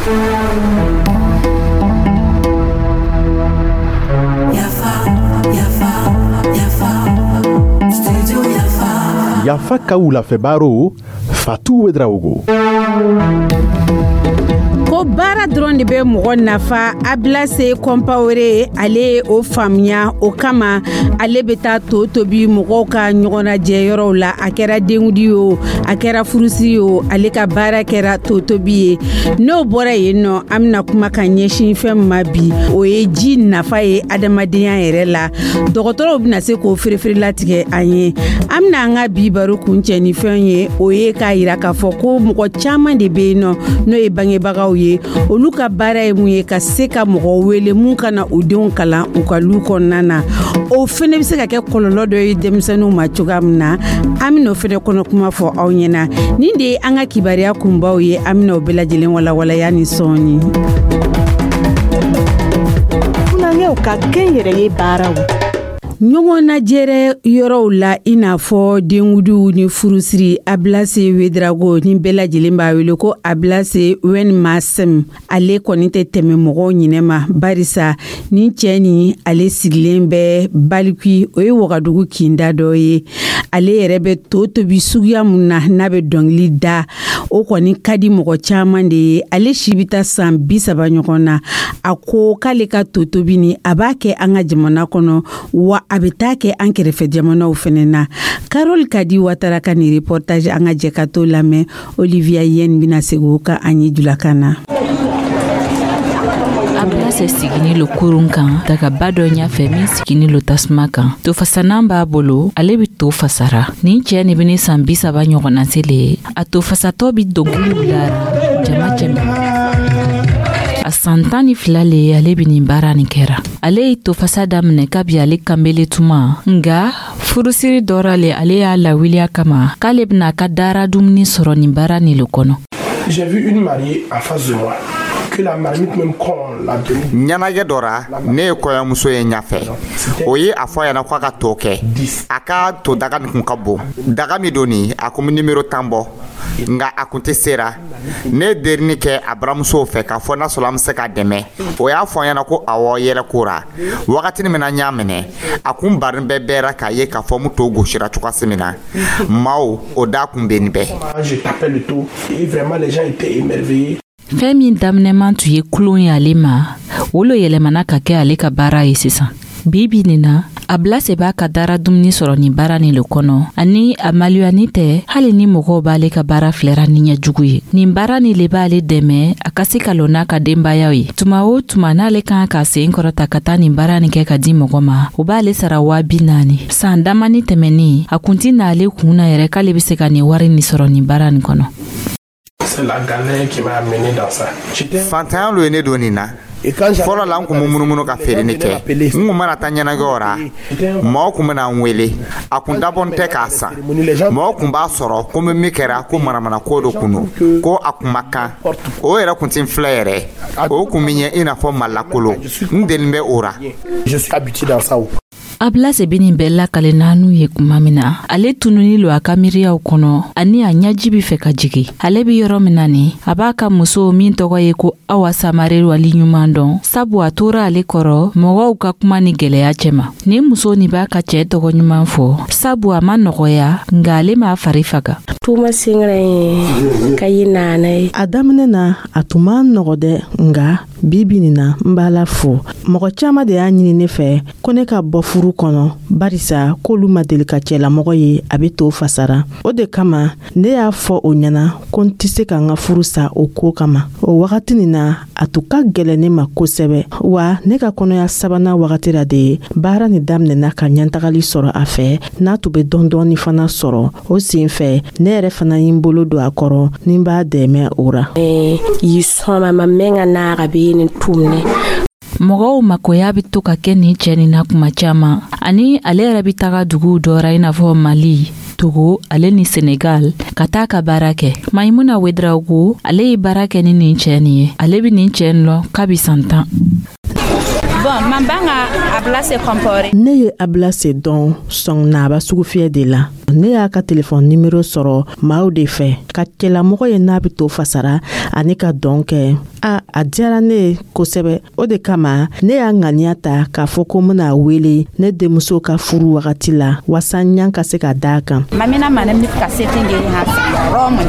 Yafa, yafa, yafa, studio Yafa. Yafa ka wulafɛ baro, Fatu Ouédraogo. Ko baara dɔrɔn de bɛ mɔgɔ nafa, Abilase Kɔnpawore, ale ye o faamuya. O kama, ale bɛ taa to tobi mɔgɔw ka ɲɔgɔnnajɛ yɔrɔw la. A kɛra denkundi o, a kɛra furusiri o, ale ka baara kɛra to tobi ye. N'o bɔra yen nɔ, an bɛna kuma ka ɲɛsin fɛn min ma bi, o ye ji nafa ye adamadenya yɛrɛ la. Dɔgɔtɔrɔw bɛna se k'o firifiri latigɛ an ye. An bɛna an ka bi baro kuncɛ ni fɛn ye, o ye k'a yira k'a fɔ ko mɔgɔ caman de bɛ yen nɔ, n'o ye bangebagaw ye, olu ka baara ye mun ye? Ka se ka mɔgɔ wele mun ka na u denw kalan u ka lu kɔnɔna na. O fɛnɛ bɛ se ka kɛ kɔlɔlɔ dɔ ye denmisɛnninw ma cogoya min na, an bɛna o fɛnɛ kɔnɔ kuma fɔ aw ɲɛna. Nin de ye an ka kibaruya kunbaw ye. An bɛna o bɛɛ lajɛlen walawalaya ni sɔɔni. Funankɛw ka kɛnyɛrɛye baaraw. Ɲɔgɔn lajɛrɛ yɔrɔw la, i n'a fɔ denkudiw ni furusiri, Abilase Ouédraogo, ni bɛɛ lajɛlen b'a wele ko Abilase Wen Masem, ale kɔni tɛ tɛmɛ mɔgɔw ɲinɛ ma, barisa ni cɛ ni ale sigilen bɛ Balikui, o ye Wagadugu kinda dɔ ye. Ale yɛrɛ bɛ to tobi suguya mun na, n'a bɛ dɔnkili da, o kɔni ka di mɔgɔ caman de ye. Ale si bɛ taa san 30 ɲɔgɔn na. A ko k'ale ka to tobi ni a b'a kɛ an ka jamana kɔnɔ, wa a bɛ taa kɛ an kɛrɛfɛ jamanaw fɛnɛ na. Karol Kadi Watara ka nin reportage, an ka jɛ ka to lamɛn. Olivia Yen bɛna segin o kan an ye julakan na. Abilase sigini lo kurun kan dagaba dɔ ɲafɛ min sigini lo tasuma kan. Tofasanan b'a bolo, ale be to fasara. Nin cɛɛ nin beni san 30 ɲɔgɔnna se le ye. A to fasatɔ bi dɔnkiliw lara jama cɛma. A san 12 le ye ale be nin baara nin kɛra. Ale ye tofasa daminɛ kabi ale kanbele tuma, nga furusiri dɔ ra le ale y'a lawuliya kama k'ale bena a ka dara dumuni sɔrɔ nin baara nin le kɔnɔ. J'ai vu une mariée en face de moi, que la marmite même quand on l'a donnée. Ɲɛnajɛ dɔ ra, ne ye kɔɲɔmuso ye ɲafɛ. O ye a fɔ a ɲɛna ko a ka to kɛ. A ka to daga nin kun ka bon. Daga min don nin, a kun bɛ nimero 10 bɔ, nka a kun tɛ sera. Ne ye derini kɛ a baramusow fɛ k'a fɔ n'a sɔrɔ an bɛ se k'a dɛmɛ. O y'a fɔ n ɲɛna ko awɔ, yɛlɛ ko ra. Wagatini min na n y'a minɛ, a kun barin bɛɛ bɛɛra k'a ye k'a fɔ n to gosira cogoya min na. Maaw o da kun bɛ nin bɛɛ. Je tapais le tô et vraiment les gens étaient émerveillés. Fɛn min daminɛman tun ye kulon ye ale ma, o lo yɛlɛmana ka kɛ ale ka baara ye sisan. Bi bi nin na, Abilase b'a ka dara dumuni sɔrɔ nin baara nin le kɔnɔ, ani a maloyani tɛ hali ni mɔgɔw b'ale ka baara filɛra ni ɲɛjugu ye. Nin baara nin le b'ale dɛmɛ a ka se ka lɔ n'a ka denbayaw ye. Tuma o tuma n'ale kan ka sen kɔrɔta ka taa nin baara nin kɛ ka di mɔgɔ ma, o b'ale sara 40 000. San damani tɛmɛnin, a kun ti n'ale kun na yɛrɛ k'ale be se ka nin wari nin sɔrɔ nin baara nin kɔnɔ. C'est la galère qui m'a amené dans ça. J'étais Fantanya lo ye ne don nin na. Fɔlɔ la, n kun bɛ munumunu ka feereni kɛ. N kun mana taa ɲɛnajɛw ra, mɔgɔw kun bɛna n wele. A kun dabɔn tɛ k'a san. Mɔgɔw kun b'a sɔrɔ ko n bɛ min kɛra ko manamana ko dɔ kun don, ko a kun ma kan. O yɛrɛ kun ti n filɛ yɛrɛ, o kun bɛ ɲɛ i n'a fɔ malakolo. N deli bɛ o ra. Je suis habitué dans ça. Abilase be nin bɛɛ lakale n'anu ye kuma min na, ale tununi lo a ka miiriyaw kɔnɔ, ani a ɲaji be fɛ ka jigi. Ale be yɔrɔ min na nin, a b'a ka muso min tɔgɔ ye ko Awa Samare wali ɲuman dɔn, sabu a tora ale kɔrɔ mɔgɔw ka kuma ni gwɛlɛya cɛma. Nin muso nin b'a ka cɛɛ tɔgɔ ɲuman fɔ, sabu a ma nɔgɔya, nga ale m'a fari faga. Tuma sẽngrã ka yɩ naana ye. A daminɛ na, a tun man nɔgɔ dɛ, nga bi bi nin na, n b'a la fo. Mɔgɔ caaman de y'a ɲini ne fɛ ko ne ka bɔ furu kɔnɔ, barisa k'olu ma deli ka cɛlamɔgɔ ye a be to fasara. O de kama ne y'a fɔ o ɲɛna ko n tɛ se ka n ka furu sa o ko kama. O wagati nin na, a tun ka gɛlɛn ne ma kosɛbɛ. Wa ne ka kɔnɔya sabanan wagati la de ye baara nin daminɛna ka ɲɛtagali sɔrɔ a fɛ, n'a tun bɛ dɔɔni fana sɔrɔ. O sen fɛ, ne yɛrɛ fana ye n bolo don a kɔrɔ ni n b'a dɛmɛ o ra. Yɩ sõma mam menga naaga beene tʋmne. Mɔgɔw makoya bɛ to ka kɛ nin cɛ nin na kuma caman, ani ale yɛrɛ bɛ taga duguw dɔ ra, i n'a fɔ Mali, Togo ale ni Senegal, ka taa ka baara kɛ. Maimuna Ouédraogo, ale ye baara kɛ ni nin cɛ nin ye. Ale bɛ nin cɛ nin lɔn kabi san 10. Bon, mam bãnga Ablase Compaoré. Ne ye Ablase dɔn Sɔngnaba sugufiyɛ de la. Ne y'a ka telefɔni nimero sɔrɔ maaw de fɛ, ka cɛlamɔgɔ ye n'a bɛ to fasara ani ka dɔn kɛ. A a diyara ne ye kosɛbɛ. O de kama ne y'a ŋaniya ta k'a fɔ ko n bɛna wele ne denmuso ka furu wagati la, waasa ɲan ka se ka da a kan. Mam me na manem nif kaset n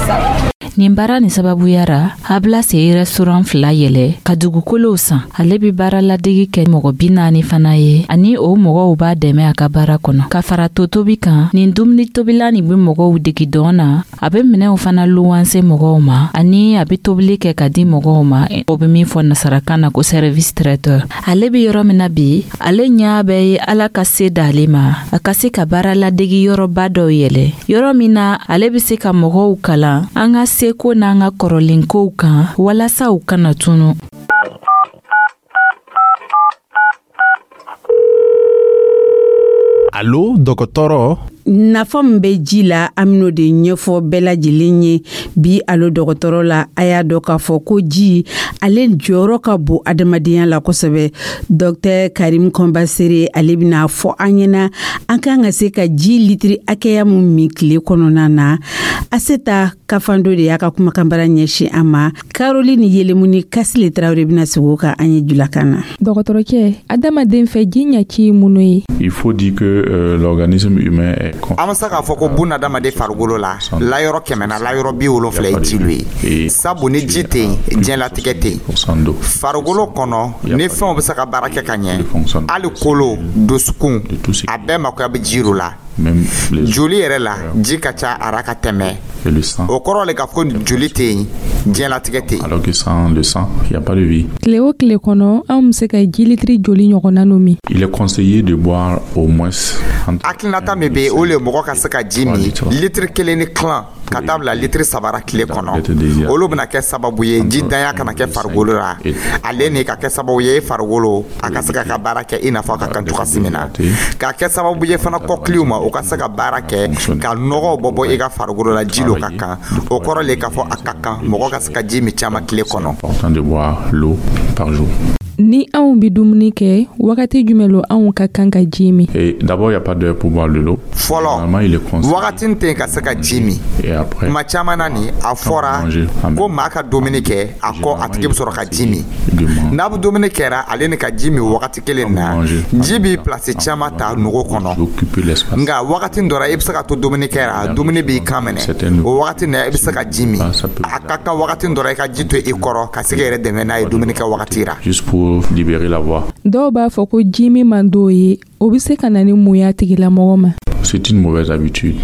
sã. Nin baara nin sababuya ra, Ablase ye restaurant fila yɛlɛ ka dugukolow san. Ale be baara ladegi kɛ mɔgɔ 40 fana ye, ani o mɔgɔw b'a dɛmɛ a ka baara kɔnɔ. Ka fara to tobi kan, nin dumuni tobila nin be mɔgɔw degi dɔn na. A be minɛw fana luwanse mɔgɔw ma, ani a be tobili kɛ ka di mɔgɔw ma, o be min fɔ nasarakan na ko service traiteur. Ale be yɔrɔ min na bi, ale ɲa bɛ ye Ala ka se d'ale ma, a ka se ka baara ladegi yɔrɔba dɔw yɛlɛ, yɔrɔ min na ale be se ka mɔgɔw kalan an ka seko n'an ka kɔrɔlenkow kan, walasa u kana tunu. Alo dɔgɔtɔrɔ. Nafa min bɛ ji la, an bɛn'o de ɲɛfɔ bɛɛ lajɛlen ye bi Alo dɔgɔtɔrɔ la. A y'a dɔn k'a fɔ ko ji, ale jɔyɔrɔ ka bon adamadenya la kosɛbɛ. Dɔktɛr Karim Kɔnbasere, ale bɛna fɔ an ɲɛna an kan ka se ka ji litiri hakɛya min min tile kɔnɔna na. Aseta Kafando de y'a ka kumakanbara ɲɛsin an ma. Caroline Yelemuni Kasile Tarawele bɛna sigi o kan an ye julakan na. Dɔgɔtɔrɔcɛ, adamaden fɛ, ji ɲɛci ye mun ye? Il faut dire que l'organisme humain est An bɛ se k'a fɔ ko buna adamaden farikolo la, layɔrɔ 100 na, layɔrɔ 70 ye jilu ye, sabu ni ji tɛ yen, diɲɛlatigɛ tɛ yen. Farikolo kɔnɔ ni fɛnw bɛ se ka baara kɛ ka ɲɛ, hali kolo, dusukun, a bɛɛ makoya bɛ ji la. Joli yɛrɛ la, ji ka ca a ra ka tɛmɛ. O kɔrɔ le k'a fɔ ko joli tɛ yen, diɲɛlatigɛ tɛ yen. Alors que sans le sang, il n'y a pas de vie. Tile o tile kɔnɔ, anw bɛ se ka ji litiri joli ɲɔgɔnna no min? Il est conseillé de boire au moins Hakilinata min bɛ yen, o le ye mɔgɔ ka se ka ji min litiri 1 ni tilan ka taa bila litiri 3 ra tile kɔnɔ. Olu bɛna kɛ sababu ye jidanya kana kɛ farikolo la, ale ni ka kɛ sababu ye farikolo a ka se ka ka baara kɛ i n'a fɔ a ka kan cogoya min na, ka kɛ sababu ye fana kɔkiliw ma, o ka se ka baara kɛ ka nɔgɔw bɔ bɔ i ka farikolo la. Ji lo ka kan. O kɔrɔ le k'a fɔ a ka kan mɔgɔ ka se ka ji min caman tile kɔnɔ. Important de boire l'eau par jour. Ni anw bɛ dumuni kɛ, wagati jumɛn lo anw ka kan ka ji min? Et d'abord, il n'y a pas d'heure pour boire de l'eau. Fɔlɔ, wagati tɛ yen ka se ka ji min. Kuma caman na nin, a fɔra ko maa ka dumuni kɛ, a kɔ a tigi bɛ sɔrɔ ka ji min. N'a bɛ dumuni kɛra, ale ni ka ji min wagati kelen na, ji b'i pilasi caman ta nogo kɔnɔ. Nka wagati dɔ la, i bɛ se ka to dumuni kɛra, dumuni b'i kan minɛ, o wagati na i bɛ se ka ji min. A ka kan wagati dɔ la, i ka ji to i kɔrɔ ka se k'i yɛrɛ dɛmɛ n'a ye dumuni kɛ wagati la. Juste pour libérer la voie. Dɔw b'a fɔ ko ji min man d'o ye, o bɛ se ka na ni mun y'a tigilamɔgɔ ma? C'est une mauvaise habitude.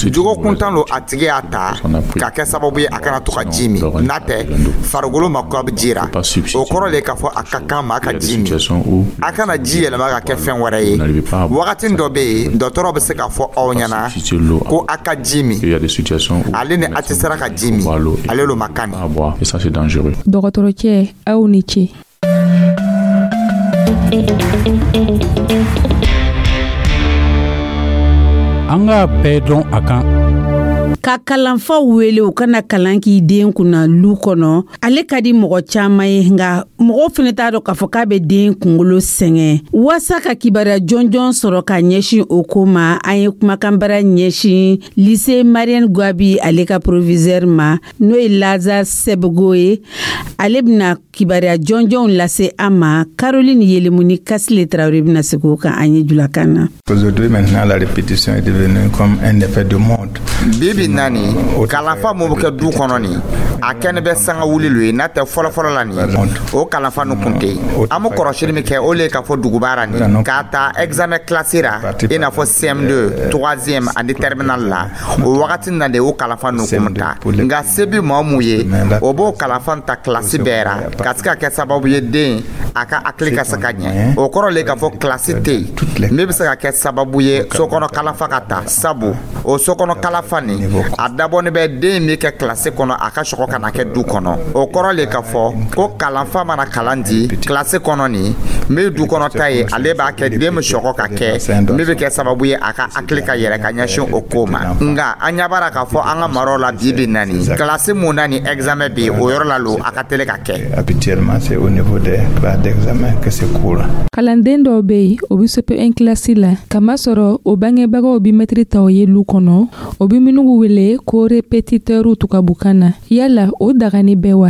Jogo kuntan lo, a tigi y'a ta ka kɛ sababu ye a kana to ka ji min. N'a tɛ, farikolo mako bɛ ji la. O kɔrɔ le k'a fɔ a ka kan maa ka ji min. A kana ji yɛlɛma ka kɛ fɛn wɛrɛ ye. Wagati dɔ bɛ yen, dɔgɔtɔrɔ bɛ se k'a fɔ aw ɲɛna ko a ka ji min, ale ni a tɛ sera ka ji min, ale lo ma kan. Et ça, c'est dangereux. Dɔgɔtɔrɔcɛ, aw ni ce. An k'a bɛɛ dɔn a kan. Ka kalanfaw wele u kana kalan k'i den kunna lu kɔnɔ, ale ka di mɔgɔ caman ye, nka mɔgɔw fɛnɛ t'a dɔn k'a fɔ k'a bɛ den kungolo sɛgɛn. Waasa ka kibaruya jɔnjɔn sɔrɔ ka ɲɛsin o ko ma, an ye kumakanbara ɲɛsin lycée Marienne Gwabi, ale ka proviseur ma, n'o ye Lazare Sɛbego ye. Ale bɛna kibaruya jɔnjɔnw lase an ma. Caroline Yelemuni Kasile Tarawele bɛna segin o kan an ye julakan na. Aujourd'hui, maintenant, la répétition est devenue comme un effet de mode. Bibi nani, kalanfa mun bɛ kɛ du kɔnɔ nin, a kɛnɛ bɛ sanga wuli lo ye. N'a tɛ, fɔlɔfɔlɔ la nin, o kalanfa nu kun tɛ yen. An bɛ kɔrɔsili min kɛ, o le ye k'a fɔ dugubara nin, k'a ta examen classe ra, i n'a fɔ CM2, 3e ani terminal la, o wagati na de o kalanfa nu kun ta. Nka se bi maa mun ye, o b'o kalanfa ta kilasi bɛɛ ra, ka se ka kɛ sababu ye den a ka hakili ka se ka ɲɛ. O kɔrɔ le k'a fɔ kilasi tɛ yen min bɛ se ka kɛ sababu ye sokɔnɔ kalanfa ka ta, sabu o sokɔnɔ kalanfa nin A dabɔnin bɛ den min kɛ kilasi kɔnɔ, a ka sɔgɔ ka na kɛ du kɔnɔ. O kɔrɔ le k'a fɔ ko kalanfa mana kalan di kilasi kɔnɔ, nin min du kɔnɔ ta ye, ale b'a kɛ den bɛ sɔgɔ ka kɛ min bɛ kɛ sababu ye a ka hakili ka yɛrɛ ka ɲɛsin o ko ma. Nka an ɲɛ b'a la k'a fɔ an ka maraw la, bi bi na nin, kilasi mun na ni examen bɛ yen, o yɔrɔ la lo a ka teli ka kɛ. Habituellement, c'est au niveau des classes d'examen que c'est courant. Kalanden dɔw bɛ yen, o bɛ CP1 kilasi la, kamasɔrɔ o bangebagaw bɛ mɛtiri ta o ye lu kɔnɔ, o bɛ minnu wele ko répétiteur tubabukan na. Yala o dagani bɛ wa?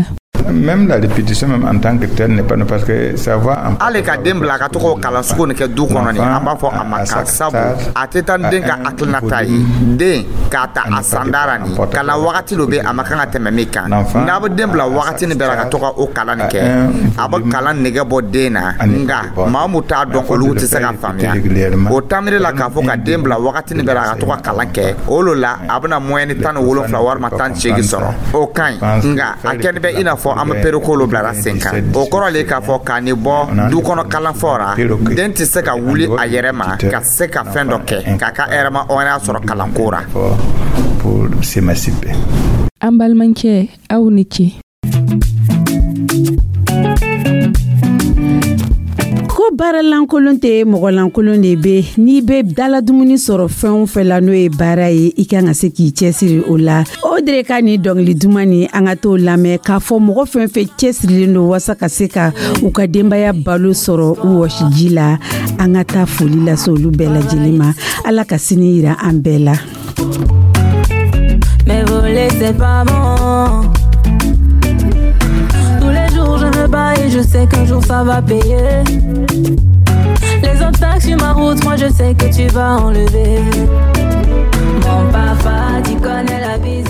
Même la répétition même en tant que telle n'est pas, parce que savoir en Hali ka den bila ka to k'o kalan sugu nin kɛ du kɔnɔ nin, an b'a fɔ a ma kan, sabu a tɛ taa ni den ka hakilinata ye. Den k'a ta a sandara nin kalan wagati dɔ bɛ, a ma kan ka tɛmɛ min kan. N'a bɛ den bila wagati nin bɛɛ la ka to ka o kalan nin kɛ, a bɛ kalan nɛgɛ bɔ den na. Nka maa mun t'a dɔn, olu tɛ se ka faamuya o taamiri la k'a fɔ ka den bila wagati nin bɛɛ la ka to ka kalan kɛ. O lo la a bɛna moyenne 17 walima 18 sɔrɔ, o ka ɲi. Nka a kɛni bɛ i n'a fɔ an bɛ pereko lo bilara sen kan. O kɔrɔ le k'a fɔ k'a nin bɔ du kɔnɔ kalanfɔ ra, den tɛ se ka wuli a yɛrɛ ma ka se ka fɛn dɔ kɛ k'a ka hɛrɛma hɔrɔnya sɔrɔ kalanko ra. Pour s'émanciper. An balimakɛ, aw ni ce. Ko baara lankolon tɛ, mɔgɔ lankolon de bɛ. N'i bɛ dala dumuni sɔrɔ fɛn o fɛn la, n'o ye baara ye, i kan ka se k'i cɛsiri o la. O de ka nin dɔnkili duman nin, an ka t'o lamɛn k'a fɔ mɔgɔ fɛn fɛn cɛsirilen don walasa ka se ka u ka denbaya balo sɔrɔ u wɔsiji la. An ka taa foli lase olu bɛɛ lajɛlen ma. Ala ka sini yira an bɛɛ la. Mais voler, c'est pas bon. Tous les jours je me bats et je sais qu'un jour ça va payer. Les obstacles sur ma route, moi je sais que tu vas enlever. Mon papa, tu connais la vie.